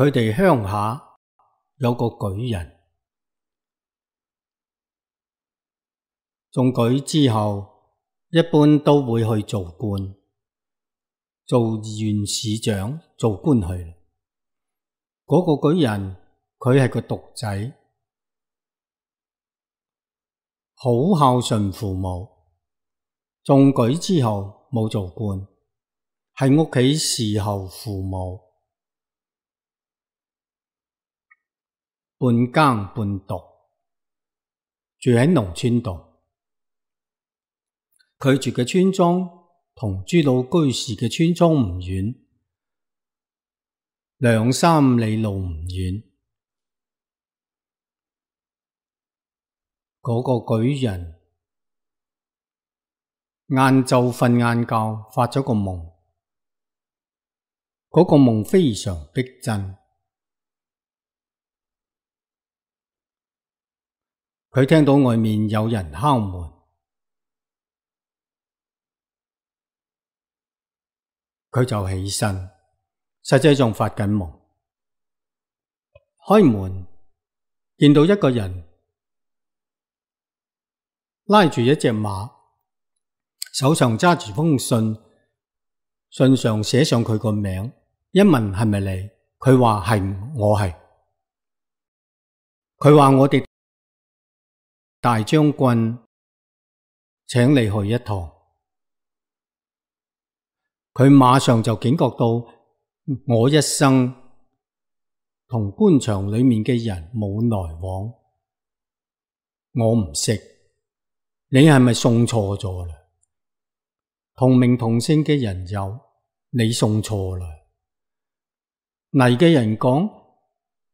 佢哋鄉下有個舉人，中舉之後，一般都會去做官，做縣市長，做官去。嗰個舉人佢係個獨仔，好孝順父母。中舉之後冇做官，喺屋企侍候父母，半耕半讀，住喺農村度。佢住嘅村莊同朱老居士嘅村莊唔遠，2、3里路唔遠。嗰個舉人晏晝瞓晏覺，發咗個夢。嗰個夢非常逼真。佢聽到外面有人敲門，佢就起身，實際上發緊夢。開門見到一個人拉住一隻馬，手上揸住封信，信上寫上佢個名。一問係咪你？佢話係，我係。佢話我哋大將軍請你去一趟。佢馬上就警覺到，我一生同官場裏面嘅人冇來往，我唔識，你係咪送錯咗啦？同名同姓嘅人有，你送錯啦。嚟嘅人講，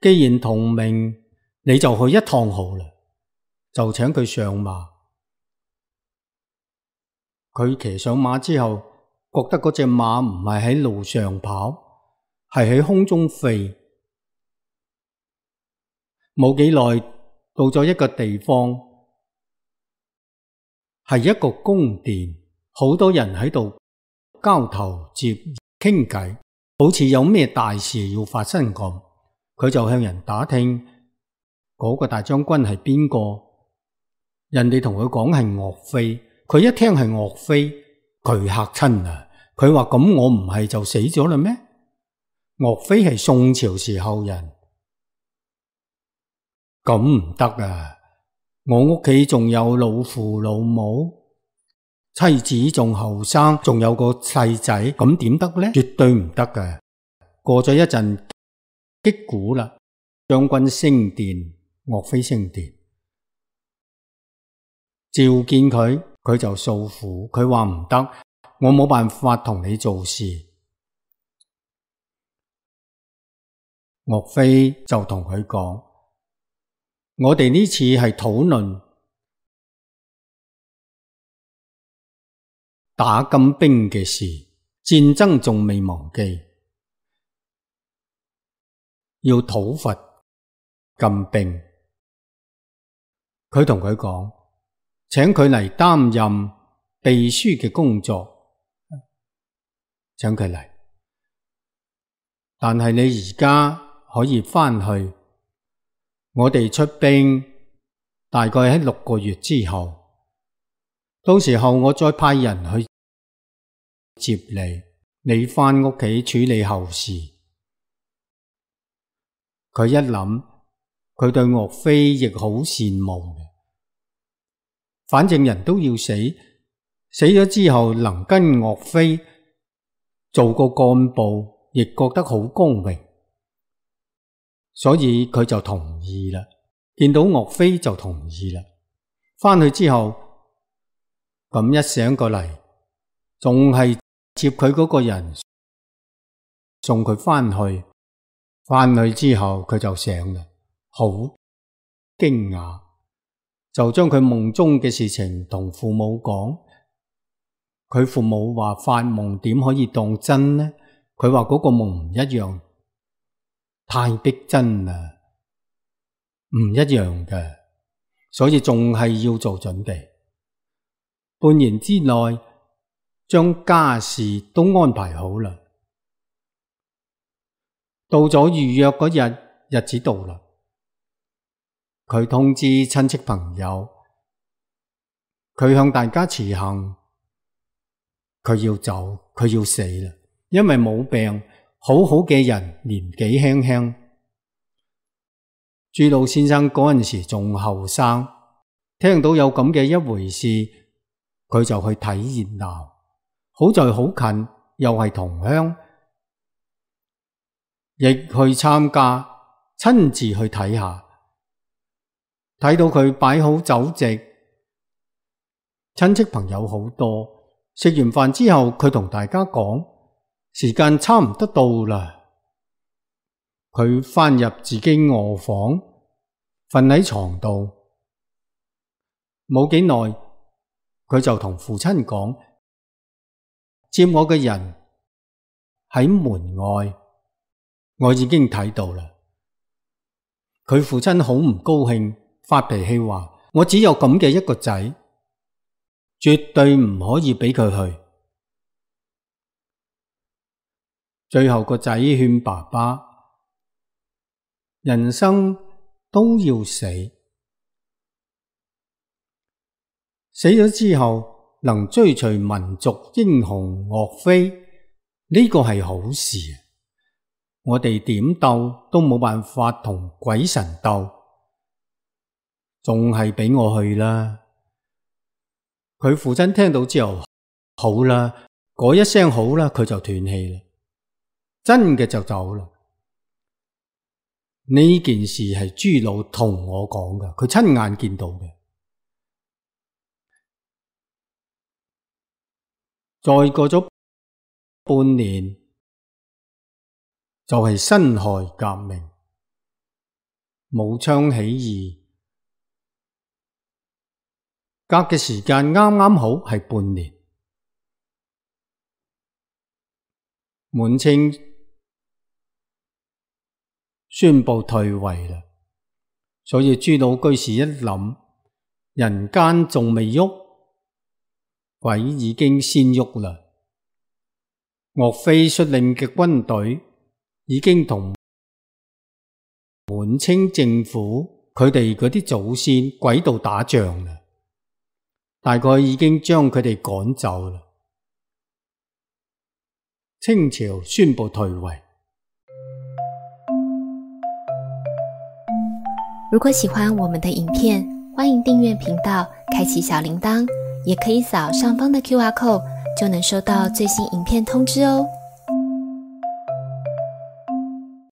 既然同名，你就去一趟好啦，就請佢上馬。佢騎上馬之後，覺得嗰隻馬唔係喺路上跑，係喺空中飛。冇幾耐，到咗一個地方，係一個宮殿，好多人喺度交頭接耳傾偈，好似有咩大事要發生咁。佢就向人打聽嗰個大將軍係邊個，人哋同佢講係岳飛。佢一聽係岳飛，佢嚇親啦。佢話咁我唔係就死咗啦咩？岳飛係宋朝時候人，咁唔得啊！我屋企仲有老父老母，妻子仲後生，仲有個細仔，咁點得呢？絕對唔得㗎。過咗一陣擊鼓啦，將軍升殿，岳飛升殿，召見佢，佢就訴苦。佢話唔得，我冇辦法同你做事。岳飛就同佢講，我哋呢次係討論打金兵嘅事，戰爭仲未忘記，要討伐金兵。佢同佢講，請佢嚟擔任秘書嘅工作，請佢嚟。但係你而家可以返去，我哋出兵大概喺6個月之後，到時候我再派人去接你，你返屋企處理後事。佢一諗，佢對岳飛亦好羨慕嘅，反正人都要死，死咗之後能跟岳飛做個幹部，亦覺得好光榮，所以佢就同意啦。見到岳飛就同意啦。返去之後，咁一醒過嚟，仲係接佢嗰個人送佢返去。返去之後佢就醒啦，好驚訝，就將佢夢中嘅事情同父母講。佢父母話發夢點可以當真呢？佢話嗰個夢唔一樣，太逼真啦，唔一樣嘅，所以仲係要做準備。半年之內將家事都安排好啦。到咗預約嗰日，日子到啦，佢通知親戚朋友，佢向大家辭行，佢要走，佢要死啦，因為冇病，好好嘅人，年紀輕輕。朱老先生嗰陣時仲後生，聽到有咁嘅一回事，佢就去睇熱鬧。好在好近，又係同鄉，亦去參加，親自去睇下。睇到佢擺好酒席，親戚朋友好多。食完飯之後，佢同大家講，時間差唔多到啦。佢返入自己臥房，瞓喺床度。冇幾耐，佢就同父親講，接我嘅人喺門外，我已經睇到啦。佢父親好唔高興，發脾氣話，我只有咁嘅一個仔，絕對唔可以俾佢去。最後個仔勸爸爸，人生都要死，死咗之後能追隨民族英雄岳飛，呢個係好事。我哋點鬥都冇辦法同鬼神鬥，仲係俾我去啦。佢父親聽到之後，好啦，嗰一聲好啦，佢就斷氣啦，真嘅就走啦。呢件事係朱老同我講嘅，佢親眼見到嘅。再過咗半年，就係辛亥革命，武昌起義，隔嘅時間啱啱好係半年。滿清宣布退位啦，所以朱老居士一諗，人間仲未喐，鬼已經先喐啦。岳飛率領嘅軍隊已經同滿清政府佢哋嗰啲祖先鬼道打仗啦，大概已經將佢哋趕走啦。清朝宣布退位。如果喜歡我們的影片，歡迎訂閱頻道，開啟小鈴鐺，也可以掃上方的 QR code，就能收到最新影片通知哦。